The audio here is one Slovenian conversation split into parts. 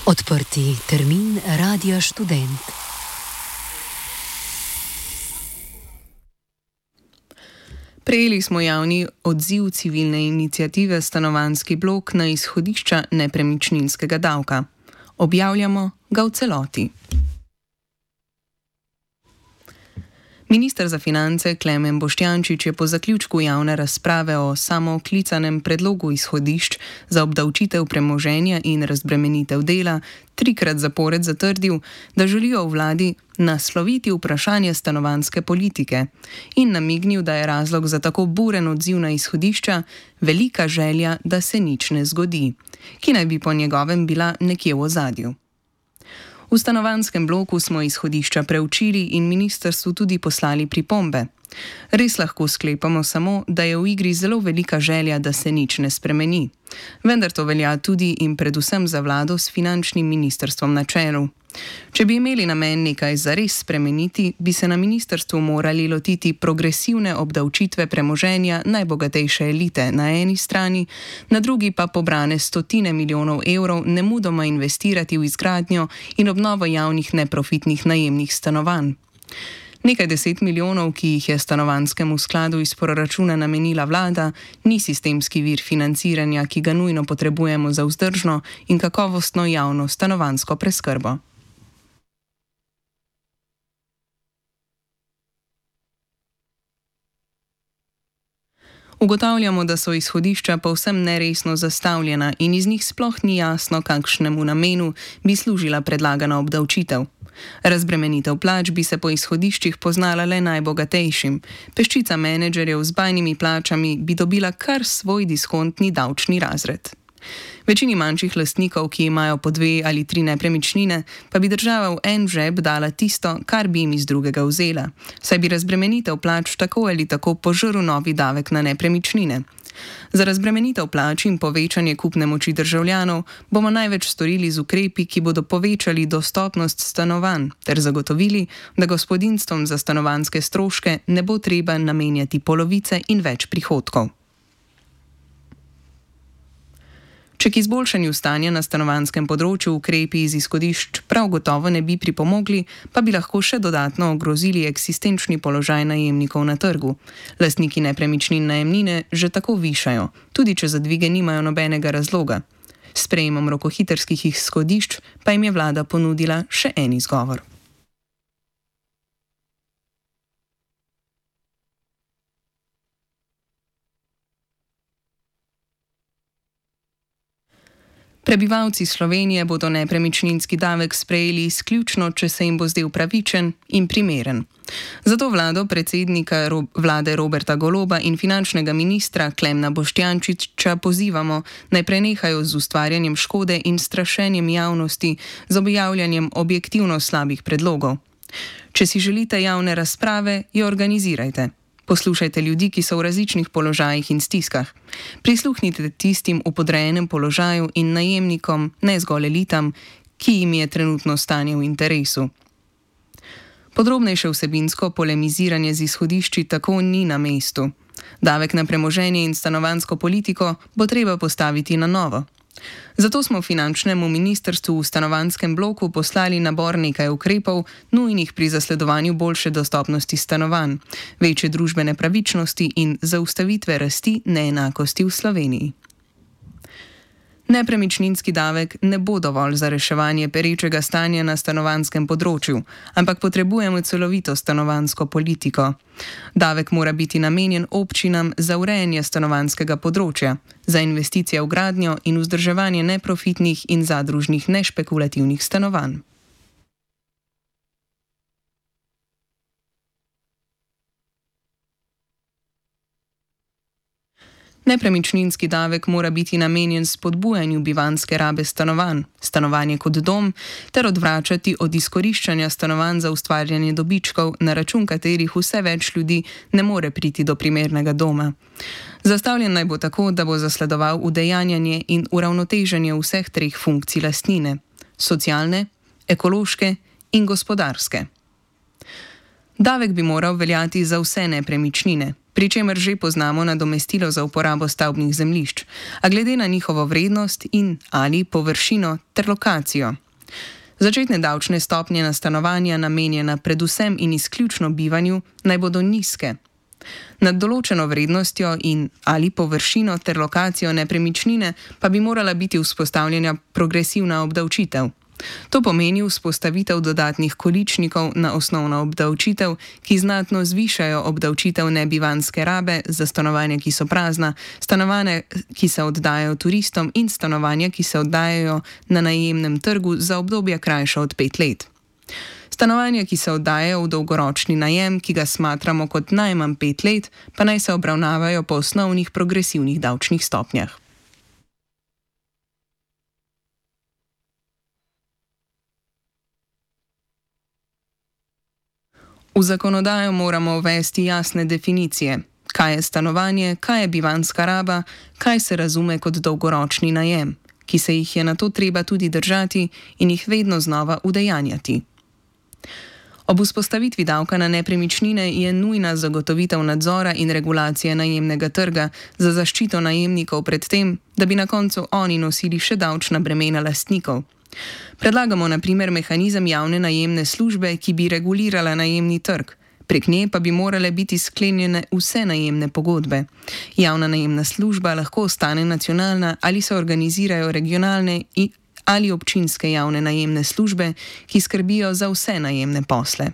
Odprti termin Radia Študent. Prejeli smo javni odziv civilne iniciative Stanovanjski blok na izhodišča nepremičninskega davka. Objavljamo ga v celoti. Minister za finance Klemen Boštjančič je po zaključku javne razprave o samooklicanem predlogu izhodišč za obdavčitev premoženja in razbremenitev dela trikrat zapored zatrdil, da želijo v vladi nasloviti vprašanje stanovanjske politike in namignil, da je razlog za tako buren odziv na izhodišča velika želja, da se nič ne zgodi, ki naj bi po njegovem bila nekje v ozadju. V stanovanjskem bloku smo izhodišča preučili in ministrstvu tudi poslali pripombe. Res lahko sklepamo samo, da je v igri zelo velika želja, da se nič ne spremeni. Vendar to velja tudi in predvsem za vlado s finančnim ministrstvom na čelu. Če bi imeli namen nekaj zares spremeniti, bi se na ministrstvu morali lotiti progresivne obdavčitve premoženja najbogatejše elite na eni strani, na drugi pa pobrane stotine milijonov evrov nemudoma investirati v izgradnjo in obnovo javnih neprofitnih najemnih stanovanj. Nekaj 10 milijonov, ki jih je stanovanjskemu skladu iz proračuna namenila vlada, ni sistemski vir financiranja, ki ga nujno potrebujemo za vzdržno in kakovostno javno stanovanjsko preskrbo. Ugotavljamo, da so izhodišča povsem neresno zastavljena in iz njih sploh ni jasno, kakšnemu namenu bi služila predlagana obdavčitev. Razbremenitev plač bi se po izhodiščih poznala le najbogatejšim. Peščica menedžerjev z bajnimi plačami bi dobila kar svoj diskontni davčni razred. Večini manjših lastnikov, ki imajo po 2 ali 3 nepremičnine, pa bi država v en žep dala tisto, kar bi jim iz drugega vzela, saj bi razbremenitev plač tako ali tako požrl novi davek na nepremičnine. Za razbremenitev plač in povečanje kupne moči državljanov bomo največ storili z ukrepi, ki bodo povečali dostopnost stanovanj ter zagotovili, da gospodinjstvom za stanovanjske stroške ne bo treba namenjati polovice in več prihodkov. Če k izboljšanju stanja na stanovanjskem področju ukrepi iz izhodišč prav gotovo ne bi pripomogli, pa bi lahko še dodatno ogrozili eksistenčni položaj najemnikov na trgu. Lastniki nepremičnin najemnine že tako višajo, tudi če za dvige nimajo nobenega razloga. S sprejemom rokohitrskih izhodišč pa jim je vlada ponudila še en izgovor. Prebivalci Slovenije bodo nepremičninski davek sprejeli izključno, če se jim bo zdel pravičen in primeren. Zato vlado predsednika vlade Roberta Goloba in finančnega ministra Klemna Boštjančiča pozivamo, naj prenehajo z ustvarjanjem škode in strašenjem javnosti z objavljanjem objektivno slabih predlogov. Če si želite javne razprave, jo organizirajte. Poslušajte ljudi, ki so v različnih položajih in stiskah. Prisluhnite tistim v podrejenem položaju in najemnikom, ne zgolj elitam, ki jim je trenutno stanje v interesu. Podrobnejše vsebinsko polemiziranje z izhodišči tako ni na mestu. Davek na premoženje in stanovanjsko politiko bo treba postaviti na novo. Zato smo finančnemu ministrstvu v stanovanjskem bloku poslali nabor nekaj ukrepov, nujnih pri zasledovanju boljše dostopnosti stanovanj, večje družbene pravičnosti in zaustavitve rasti neenakosti v Sloveniji. Nepremičninski davek ne bo dovolj za reševanje perečega stanja na stanovanjskem področju, ampak potrebujemo celovito stanovanjsko politiko. Davek mora biti namenjen občinam za urejanje stanovanjskega področja, za investicije v gradnjo in vzdrževanje neprofitnih in zadružnih nešpekulativnih stanovanj. Nepremičninski davek mora biti namenjen spodbujanju bivanjske rabe stanovanj, stanovanje kot dom, ter odvračati od izkoriščanja stanovanj za ustvarjanje dobičkov, na račun katerih vse več ljudi ne more priti do primernega doma. Zastavljen naj bo tako, da bo zasledoval udejanjanje in uravnoteženje vseh 3 funkcij lastnine: socialne, ekološke in gospodarske. Davek bi moral veljati za vse nepremičnine. pri čemer že poznamo nadomestilo za uporabo stavbnih zemljišč, a glede na njihovo vrednost in ali površino ter lokacijo. Začetne davčne stopnje na stanovanja, namenjena predvsem in izključno bivanju, naj bodo nizke. Nad določeno vrednostjo in ali površino ter lokacijo nepremičnine pa bi morala biti vzpostavljena progresivna obdavčitev. To pomeni vzpostavitev dodatnih količnikov na osnovno obdavčitev, ki znatno zvišajo obdavčitev nebivanjske rabe za stanovanja, ki so prazna, stanovanja, ki se oddajajo turistom in stanovanja, ki se oddajajo na najemnem trgu za obdobje krajše od 5 let. Stanovanja, ki se oddajajo v dolgoročni najem, ki ga smatramo kot najmanj 5 let, pa naj se obravnavajo po osnovnih progresivnih davčnih stopnjah. V zakonodajo moramo uvesti jasne definicije, kaj je stanovanje, kaj je bivanjska raba, kaj se razume kot dolgoročni najem, ki se jih je nato treba tudi držati in jih vedno znova udejanjati. Ob vzpostavitvi davka na nepremičnine je nujna zagotovitev nadzora in regulacije najemnega trga za zaščito najemnikov pred tem, da bi na koncu oni nosili še davčna bremena lastnikov. Predlagamo na primer mehanizem javne najemne službe, ki bi regulirala najemni trg. Prek nje pa bi morale biti sklenjene vse najemne pogodbe. Javna najemna služba lahko ostane nacionalna ali se organizirajo regionalne ali občinske javne najemne službe, ki skrbijo za vse najemne posle.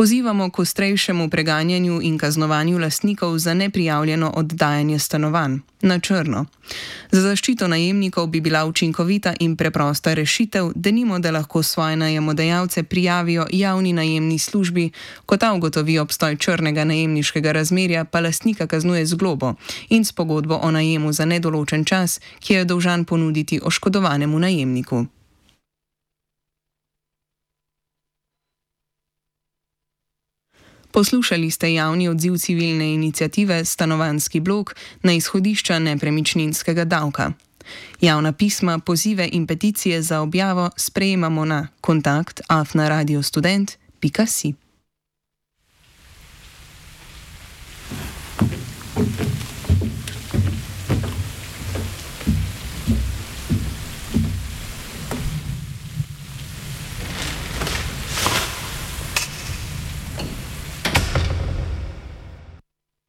Pozivamo k ostrejšemu preganjanju in kaznovanju lastnikov za neprijavljeno oddajanje stanovanj na črno. Za zaščito najemnikov bi bila učinkovita in preprosta rešitev, denimo, da lahko svoje najemodajalce prijavijo javni najemni službi, ko ta ugotovi obstoj črnega najemniškega razmerja, pa lastnika kaznuje z globo in s pogodbo o najemu za nedoločen čas, ki je dolžan ponuditi oškodovanemu najemniku. Poslušali ste javni odziv civilne iniciative Stanovanjski blok na izhodišča nepremičninskega davka. Javna pisma, pozive in peticije za objavo sprejemamo na kontakt@radiostudent.si.